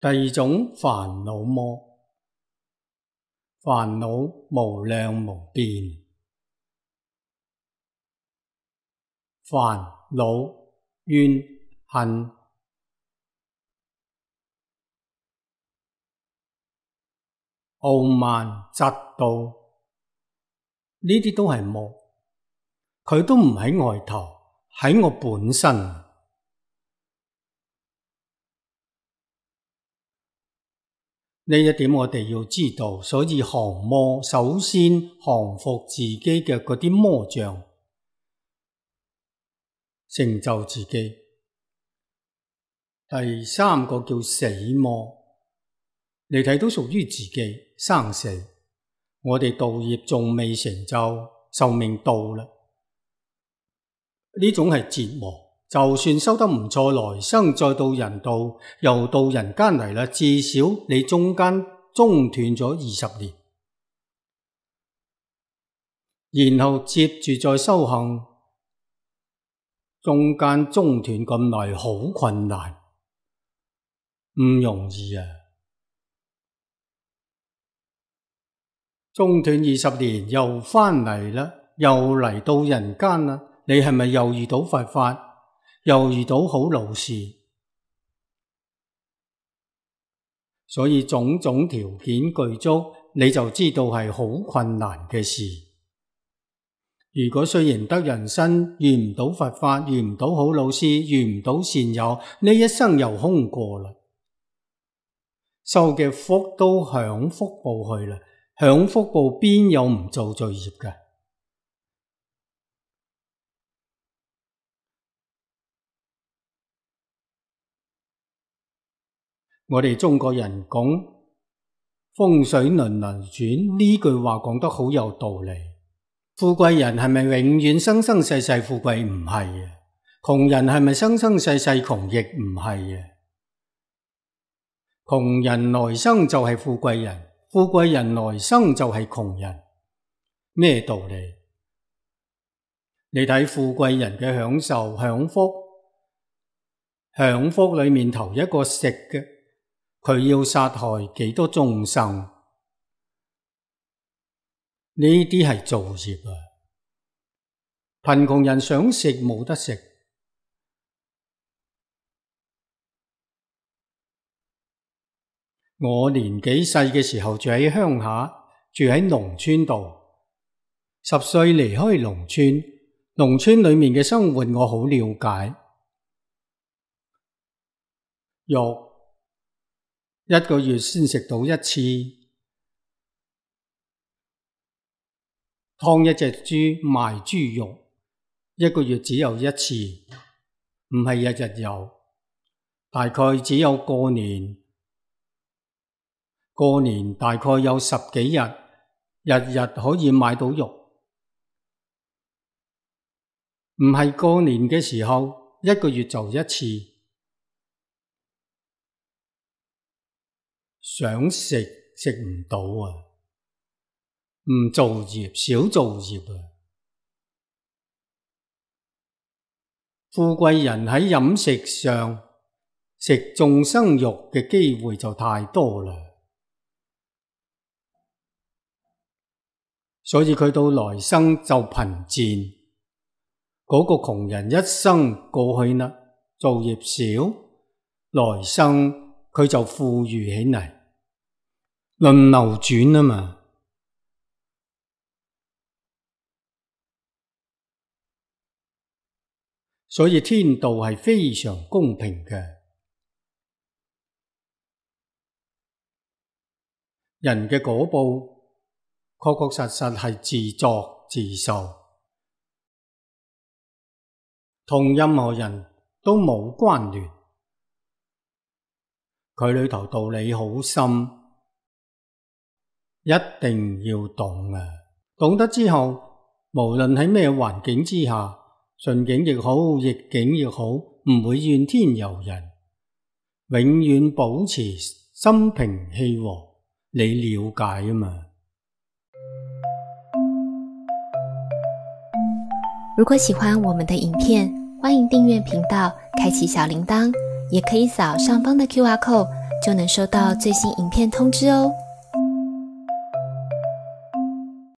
二種煩惱魔，煩惱無量無邊，煩惱怨恨傲慢嫉妒，呢啲都係魔，佢都唔喺外頭，喺我本身。呢一點我哋要知道，所以降魔首先降服自己嘅嗰啲魔障，成就自己。第三個叫死魔，你睇都屬於自己生死。我哋道業仲未成就，壽命到啦，呢種係折磨。就算修得唔錯，來生再到人道，又到人間嚟啦，至少你中間中斷咗20年，然後接住再修行，中間中斷咁耐，好困難，唔容易啊！中斷20年又返嚟啦，又嚟到人間啦，你係咪又遇到佛法？又遇到好老師？所以種種條件具足，你就知道係好困難嘅事。如果雖然得人身，遇唔到佛法，遇唔到好老師，遇唔到善友，呢一生又空過啦，受嘅福都享福報去啦，享福報邊有唔做罪業嘅？我哋中國人講風水輪流轉，呢句話講得好有道理。富貴人係咪永遠生生世世富貴？唔係啊。窮人係咪生生世世窮？亦唔係啊。窮人來生就係富貴人，富貴人來生就係窮人。咩道理？你睇富貴人嘅享受享福，享福裏面頭一個食嘅，佢要殺害幾多眾生？呢啲係造業啊！貧窮人想食冇得食。我年紀細嘅時候住喺鄉下，住喺農村度。10歲離開農村，農村裏面嘅生活我好了解。肉1個月先食到1次，劏一隻豬賣豬肉，1個月只有1次，唔係日日有，大概只有過年大概有10幾日，日日可以買到肉，唔係過年嘅時候1個月就1次。想食食唔到啊，唔造業，少造業啊。富貴人喺飲食上食眾生肉嘅機會就太多啦，所以佢到來生就貧賤。嗰個窮人一生過去啦，造業少，來生佢就富裕起嚟。輪流轉啊嘛，所以天道係非常公平嘅。人嘅果報確確實實係自作自受，同任何人都冇關聯。佢裏頭道理好深，一定要懂啊！懂得之後，無論喺咩環境之下，順境亦好，逆境亦好，唔會怨天尤人，永遠保持心平氣和。你了解啊嘛？如果喜歡我們的影片，歡迎訂閱頻道，開啟小鈴鐺，也可以掃上方的QR code 就能收到最新影片通知哦。